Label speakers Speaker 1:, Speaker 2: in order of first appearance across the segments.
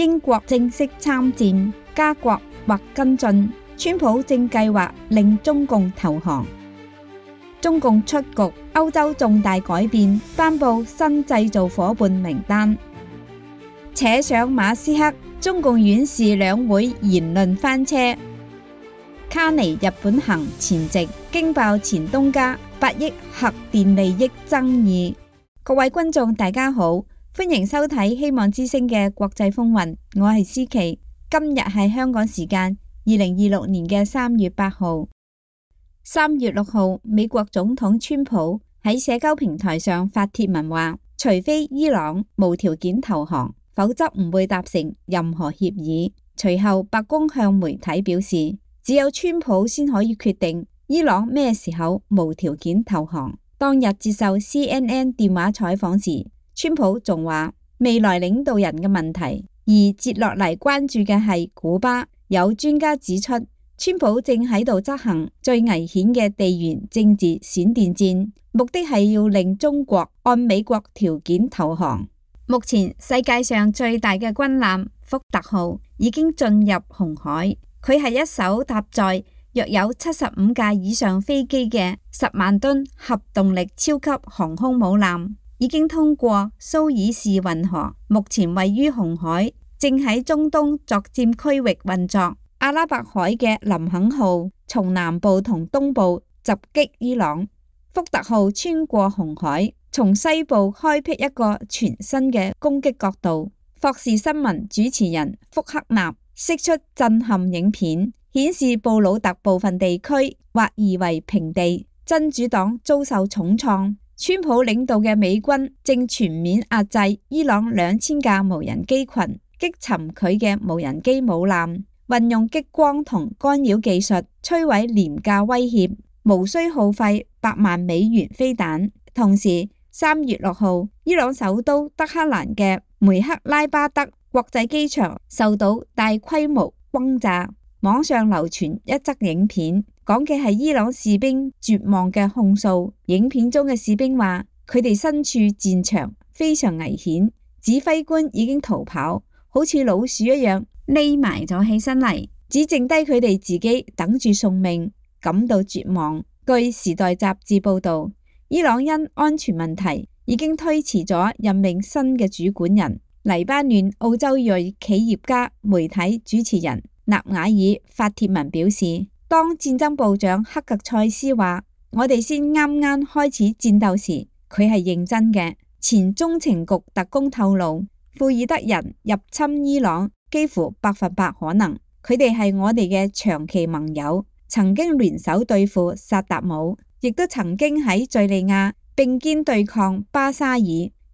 Speaker 1: 英國正式參戰，加國或跟進，川普正計劃令中共投降。中共出局，歐洲重大改變，頒布新製造夥伴名單。扯上馬斯克，中共院士兩會言論翻車。卡尼日本行前夕，驚爆前東家8億核電利益爭議。各位觀眾大家好，歡迎收睇希望之聲嘅國際風雲，我係思琪。今日係香港時間2026年嘅3月8號。3月6號，美國總統川普喺社交平台上發帖文話，除非伊朗無條件投降，否則唔會達成任何協議。隨後白宮向媒體表示，只有川普先可以決定伊朗咩時候無條件投降。當日接受 CNN 電話採訪時，川普仲話未來領導人嘅問題，而接落嚟關注嘅係古巴。有專家指出，川普正喺度執行最危險嘅地緣政治閃電戰，目的係要令中國按美國條件投降。目前世界上最大嘅軍艦福特號已經進入紅海，佢係一艘搭載約有75架以上飛機嘅10萬噸核動力超級航空母艦，已經通過蘇伊士運河，目前位於紅海，正喺中東作戰區域運作。阿拉伯海嘅林肯號從南部同東部襲擊伊朗，福特號穿過紅海，從西部開闢一個全新嘅攻擊角度。霍士新聞主持人福克納釋出震撼影片，顯示布魯特部分地區或夷為平地，真主黨遭受重創。川普領導嘅美軍正全面壓制伊朗2000架無人機群，擊沉佢嘅無人機母艦，運用激光同干擾技術摧毀廉價威脅，無需耗費100萬美元飛彈。同時3月6號，伊朗首都德黑蘭嘅梅克拉巴德國際機場受到大規模轟炸。網上流傳一則影片，講嘅係伊朗士兵絕望嘅控訴。影片中嘅士兵話，佢哋身處戰場，非常危險，指揮官已經逃跑，好似老鼠一樣匿埋咗起身嚟，只剩低佢哋自己等住送命，感到絕望。據時代雜誌報道，伊朗因安全問題已經推遲咗任命新嘅主管人。黎巴嫩澳洲裔企業家媒體主持人納瓦爾發帖文表示，當戰爭部長克格塞斯話我哋先啱啱開始戰鬥時，佢係認真嘅。前中情局特工透露，庫爾德人入侵伊朗幾乎100%可能，佢哋係我哋嘅長期盟友，曾經聯手對付薩達姆，亦都曾經喺敘利亞並肩對抗巴沙爾。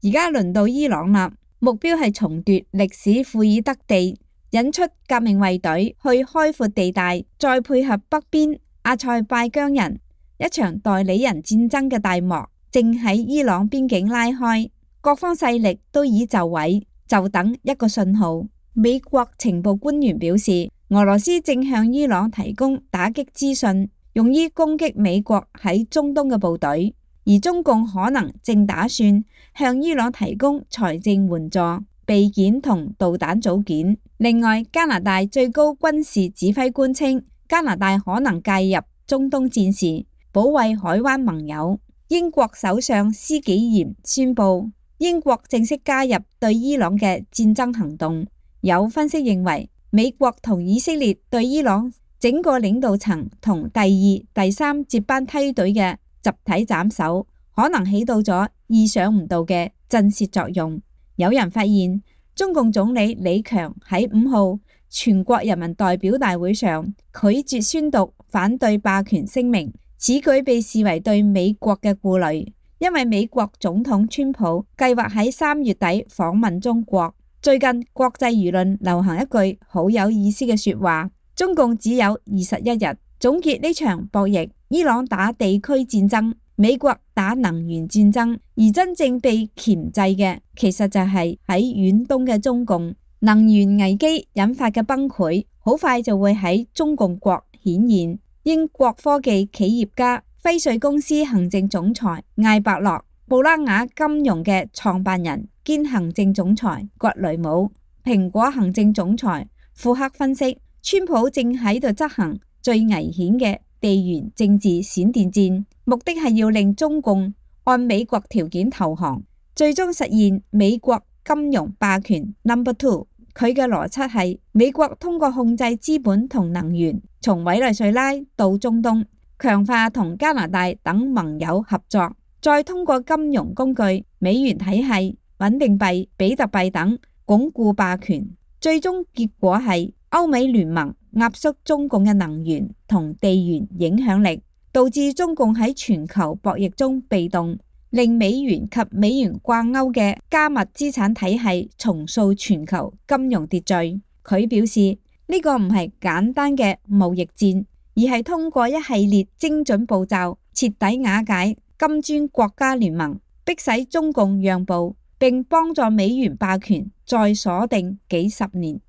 Speaker 1: 而家輪到伊朗啦，目標係重奪歷史庫爾德地，引出革命衛隊去開闊地帶，再配合北邊阿塞拜疆人，一場代理人戰爭嘅大幕正喺伊朗邊境拉開，各方勢力都已就位，就等一個信號。美國情報官員表示，俄羅斯正向伊朗提供打擊資訊，用於攻擊美國喺中東嘅部隊，而中共可能正打算向伊朗提供財政援助、備件同導彈組件。另外，加拿大最高軍事指揮官稱，加拿大可能介入中東戰事，保衛海灣盟友。英國首相施紀賢宣布，英國正式加入對伊朗嘅戰爭行動。有分析認為，美國同以色列對伊朗整個領導層同第2、第3接班梯隊嘅集體斬首，可能起到咗意想唔到嘅震懾作用。有人發現，中共總理李強喺5號全國人民代表大會上拒絕宣讀反對霸權聲明，此舉被視為對美國嘅顧慮，因為美國總統川普計劃喺3月底訪問中國。最近國際輿論流行一句好有意思嘅說話，中共只有21日總結呢場博弈，伊朗打地區戰爭，美國打能源戰爭，而真正被鉗制嘅其實就係喺遠東嘅中共。能源危機引發嘅崩潰好快就會喺中共國顯現。英國科技企業家輝瑞公司行政總裁艾伯樂、布拉雅金融嘅創辦人兼行政總裁葛雷姆蘋果行政總裁庫克分析，川普正喺度執行最危險嘅地緣政治閃電戰，目的係要令中共按美國條件投降，最終實現美國金融霸權 No.2。佢嘅邏輯係美國通過控制資本同能源，從委內瑞拉到中東，強化同加拿大等盟友合作，再通過金融工具、美元體系、穩定幣、比特幣等鞏固霸權。最終結果係歐美聯盟壓縮中共嘅能源同地緣影響力，導致中共喺全球博弈中被動，令美元及美元掛鈎嘅加密資產體系重塑全球金融秩序。佢表示呢個唔係簡單嘅貿易戰，而係通過一系列精準步驟徹底瓦解金磚國家聯盟，迫使中共讓步，並幫助美元霸權再鎖定幾十年。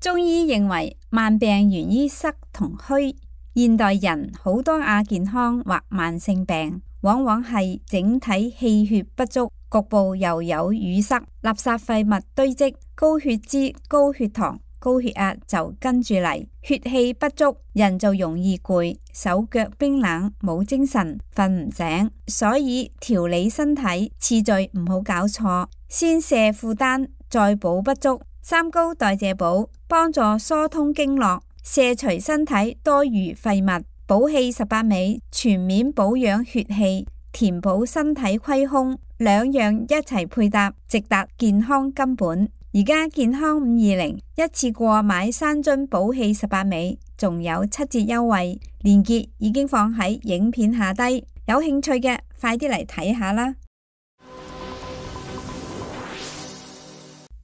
Speaker 1: 中醫認為慢病源於濕同虛，現代人好多亞健康或慢性病，往往係整體氣血不足，局部又有淤塞、垃圾廢物堆積，高血脂、高血糖、高血壓就跟住嚟，血氣不足，人就容易攰，手腳冰冷，冇精神，瞓唔醒。所以調理身體次序唔好搞錯，先卸負擔，再補不足。三高代謝補幫助疏通經絡，卸除身體多餘廢物。補氣18味全面保養血氣，填補身體虧空，兩樣一齊配搭，直達健康根本。而家健康520一次過買3樽補氣18味，仲有7折優惠，鏈接已經放喺影片下低，有興趣嘅快啲嚟睇下啦。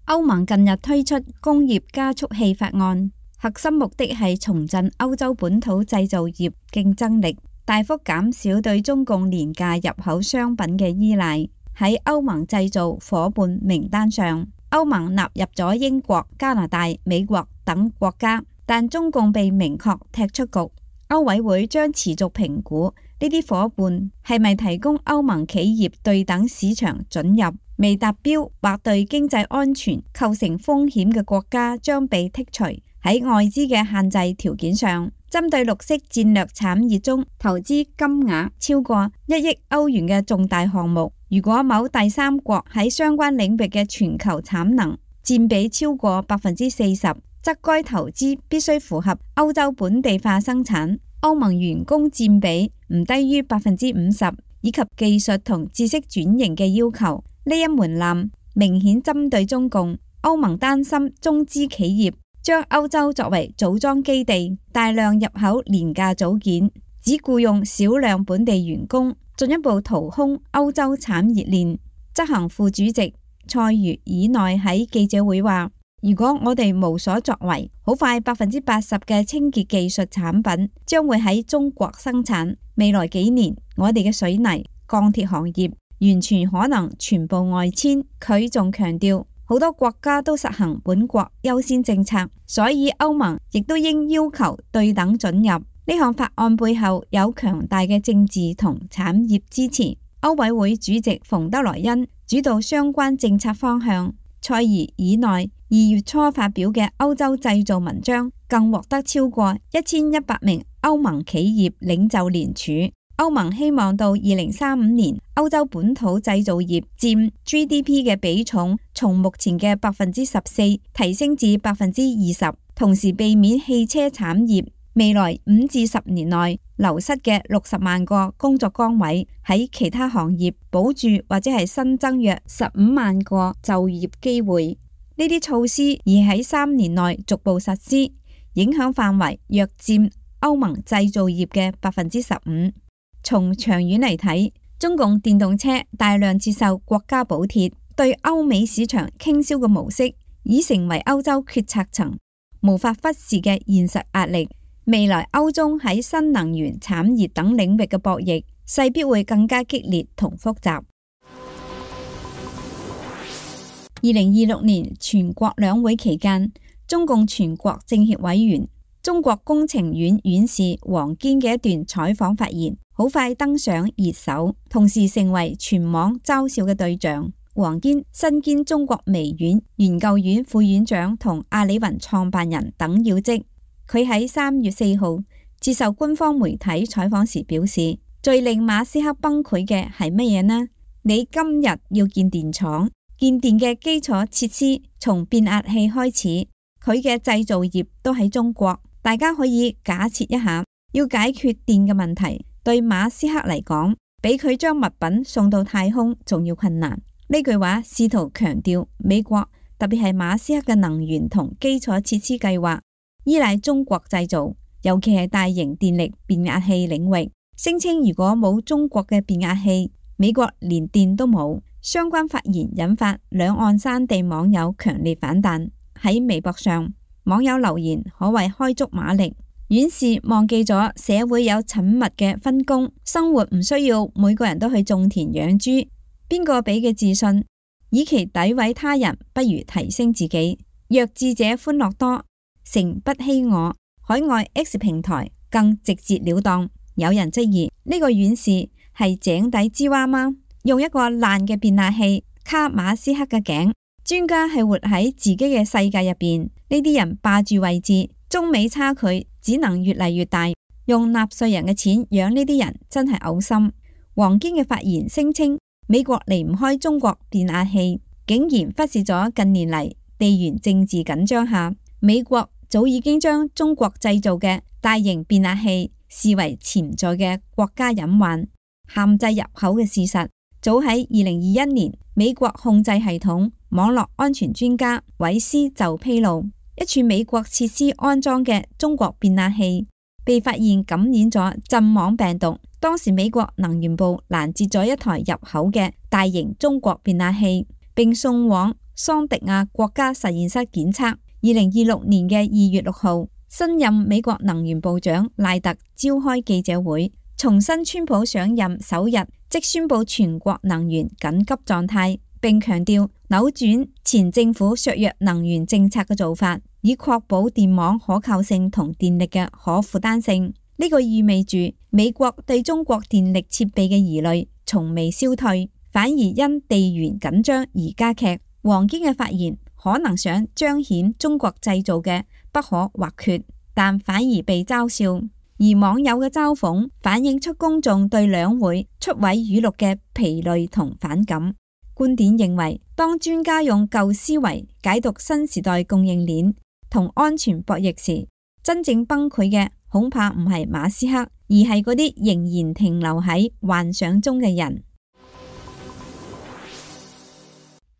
Speaker 1: 歐盟近日推出工業加速器法案，核心目的係重振歐洲本土製造業競爭力，大幅減少對中共廉價入口商品嘅依賴。喺歐盟製造夥伴名單上，歐盟納入咗英國、加拿大、美國等國家，但中共被明確踢出局。歐委會將持續評估呢啲夥伴係咪提供歐盟企業對等市場准入，未達標或對經濟安全構成風險嘅國家將被剔除。喺外資嘅限制條件上，針對綠色戰略產業中投資金額超過1億歐元嘅重大項目，如果某第三國喺相關領域嘅全球產能佔比超過40%，則該投資必須符合歐洲本地化生產、歐盟員工佔比唔低於50%，以及技術同知識轉型嘅要求。呢一門檻明顯針對中共。歐盟擔心中資企業將歐洲作為組裝基地，大量入口廉價組件，只僱用少量本地員工，進一步掏空歐洲產業鏈。執行副主席塞茹爾內喺記者會話：如果我哋無所作為，好快80%嘅清潔技術產品將會喺中國生產。未來幾年，我哋嘅水泥、鋼鐵行業完全可能全部外遷。佢仲強調，好多國家都實行本國優先政策，所以歐盟亦都應要求對等准入。呢項法案背後有強大嘅政治同產業支持。歐委會主席馮德萊恩主導相關政策方向。塞茹爾內2月初發表嘅歐洲製造文章更獲得超過1100名歐盟企業領袖聯署。歐盟希望到2035年，歐洲本土製造業佔 GDP 嘅比重從目前嘅14%提升至20%，同時避免汽車產業未來5至10年內流失嘅60萬個工作崗位，喺其他行業保住或者係新增約15萬個就業機會。呢啲措施已喺3年內逐步實施，影響範圍約佔歐盟製造業嘅15%。從長遠嚟睇，中共電動車大量接受國家補貼，對歐美市場傾銷嘅模式已成為歐洲決策層無法忽視嘅現實壓力。未來歐中喺新能源產業等領域嘅博弈勢必會更加激烈同複雜。2026年全國兩會期間，中共全國政協委員、中國工程院院士王堅嘅一段採訪發言好快登上熱搜，同時成為全網嘲笑嘅對象。王堅身兼中國微軟研究院副院長同阿里雲創辦人等要職。佢喺3月4號接受官方媒體採訪時表示，最令馬斯克崩潰嘅係乜嘢呢？你今日要建電廠，建電嘅基礎設施從變壓器開始，佢嘅製造業都喺中國。大家可以假設一下，要解決電嘅問題，對馬斯克嚟講，比佢將物品送到太空仲要困難。呢句話試圖強調美國，特別係馬斯克嘅能源同基礎設施計劃依賴中國製造，尤其係大型電力變壓器領域。聲稱如果冇中國嘅變壓器，美國連電都冇。相關發言引發兩岸三地網友強烈反彈。喺微博上，網友留言可謂開足馬力，院士忘記咗社會有緊密嘅分工，生活唔需要每個人都去種田養豬。邊個俾嘅自信？與其詆毀他人，不如提升自己。弱智者歡樂多，誠不欺我。海外 X 平台更直截了當。有人質疑呢個院士係井底之蛙嗎？用一個爛嘅變壓器卡馬斯克嘅頸。專家係活喺自己嘅世界入邊，呢啲人霸住位置，中美差距只能越嚟越大。用納稅人嘅錢養呢啲人真係嘔心。王堅嘅發言聲稱美國離唔開中國變壓器，竟然忽視咗近年嚟地緣政治緊張下，美國早已經將中國製造嘅大型變壓器視為潛在嘅國家隱患，限制入口嘅事實，早喺2021年，美國控制系統網絡安全專家韋斯就披露，一處美國設施安裝嘅中國變壓器被發現感染咗陣網病毒。當時美國能源部攔截咗一台入口嘅大型中國變壓器，並送往桑迪亞國家實驗室檢測。2026年嘅2月6號，新任美國能源部長賴特召開記者會，重申川普上任首日即宣布全國能源緊急狀態，並強調扭轉前政府削弱能源政策嘅做法，以確保電網可靠性同電力嘅可負擔性。呢個意味住美國對中國電力設備嘅疑慮從未消退，反而因地緣緊張而加劇。王堅嘅發言可能想彰顯中國製造嘅不可或缺，但反而被嘲笑。而網友嘅嘲諷反映出公眾對兩會出位語錄嘅疲累同反感。觀點認為，當專家用舊思維解讀新時代供應鏈同安全博弈時，真正崩潰嘅恐怕唔係馬斯克，而係嗰啲仍然停留喺幻想中嘅人。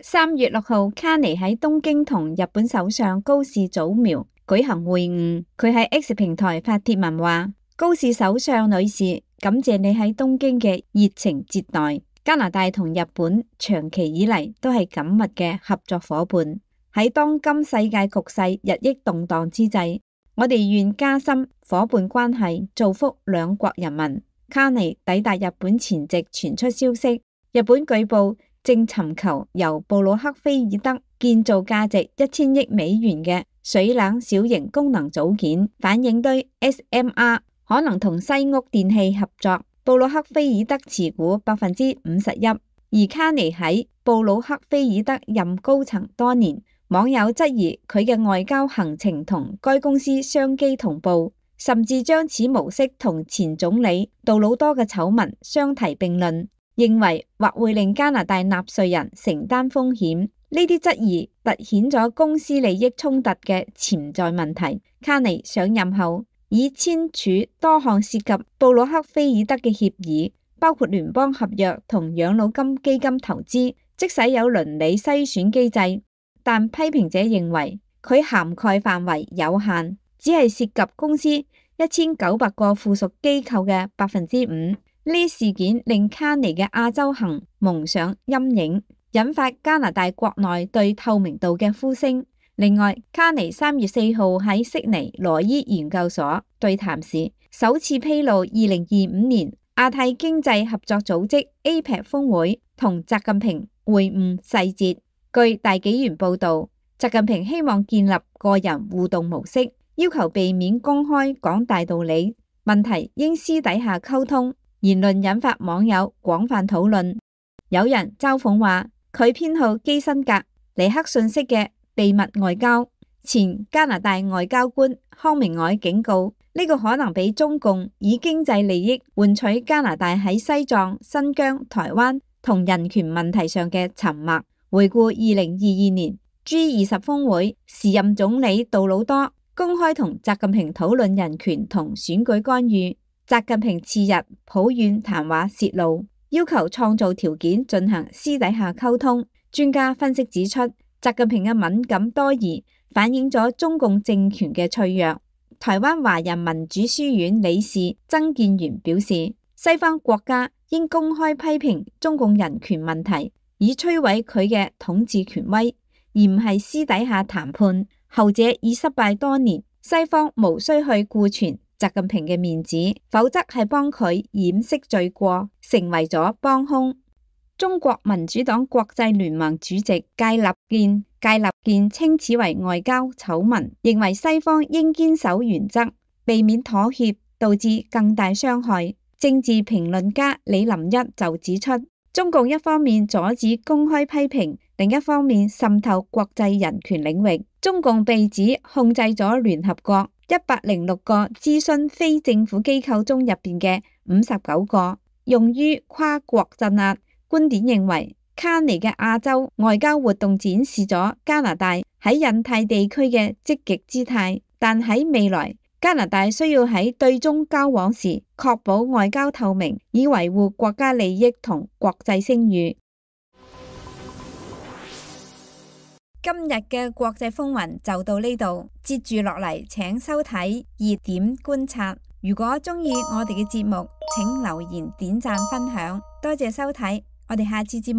Speaker 1: 3月6號，卡尼喺東京同日本首相高市早苗舉行會晤。佢喺 X 平台發帖文話：高市首相女士，感謝你喺東京嘅熱情接待。加拿大同日本長期以嚟都係緊密嘅合作夥伴。喺當今世界局勢日益動盪之際，我哋願加深夥伴關係，造福兩國人民。卡尼抵達日本前夕傳出消息，日本據報正尋求由布魯克菲爾德建造價值1000億美元嘅水冷小型功能組件反應堆 SMR， 可能同西屋電器合作。布魯克菲爾德持股51%，而卡尼喺布魯克菲爾德任高層多年，網友質疑佢嘅外交行程同該公司商機同步，甚至將此模式同前總理杜魯多嘅醜聞相提並論，認為或會令加拿大納稅人承擔風險。呢啲質疑凸顯咗公司利益衝突嘅潛在問題。卡尼上任後已簽署多項涉及布魯克菲爾德嘅協議，包括聯邦合約同養老金基金投資，即使有倫理篩選機制，但批評者認為佢涵蓋範圍有限，只係涉及公司1900個附屬機構嘅5%。呢事件令卡尼嘅亞洲行蒙上陰影，引發加拿大國內對透明度嘅呼聲。另外，卡尼3月4號喺悉尼羅伊研究所對談時，首次披露2025年亞太經濟合作組織 APEC 峰會同習近平會晤細節。據大紀元報導，習近平希望建立個人互動模式，要求避免公開講大道理，問題應私底下溝通。言論引發網友廣泛討論，有人嘲諷話：佢偏好基辛格、尼克遜式嘅秘密外交。前加拿大外交官康明凱警告，呢個可能俾中共以經濟利益換取加拿大喺西藏、新疆、台灣同人權問題上嘅沉默。回顧2022年 G20 峰會，時任總理杜魯多公開同習近平討論人權同選舉干預。習近平次日抱怨談話洩露，要求創造條件進行私底下溝通。專家分析指出，習近平嘅敏感多疑反映咗中共政權嘅脆弱。台灣華人民主書院理事曾建元表示，西方國家應公開批評中共人權問題，以摧毀佢嘅統治權威，而唔係私底下談判。後者已失敗多年，西方無需去顧全習近平嘅面子，否則係幫佢掩飾罪過，成為咗幫兇。中國民主黨國際聯盟主席介立健稱此為外交醜聞，認為西方應堅守原則，避免妥協導致更大傷害。政治評論家李林一就指出，中共一方面阻止公開批評，另一方面滲透國際人權領域。中共被指控制咗聯合國106個諮詢非政府機構中入邊嘅59個，用於跨國鎮壓。觀點認為，卡尼嘅亞洲外交活動展示咗加拿大喺印太地區嘅積極姿態，但喺未來，加拿大需要喺對中交往時確保外交透明，以維護國家利益同國際聲譽。今日嘅國際風雲就到呢度，接住落嚟請收睇熱點觀察。如果鍾意我哋嘅節目，請留言、點讚、分享，多謝收睇，我哋下次節目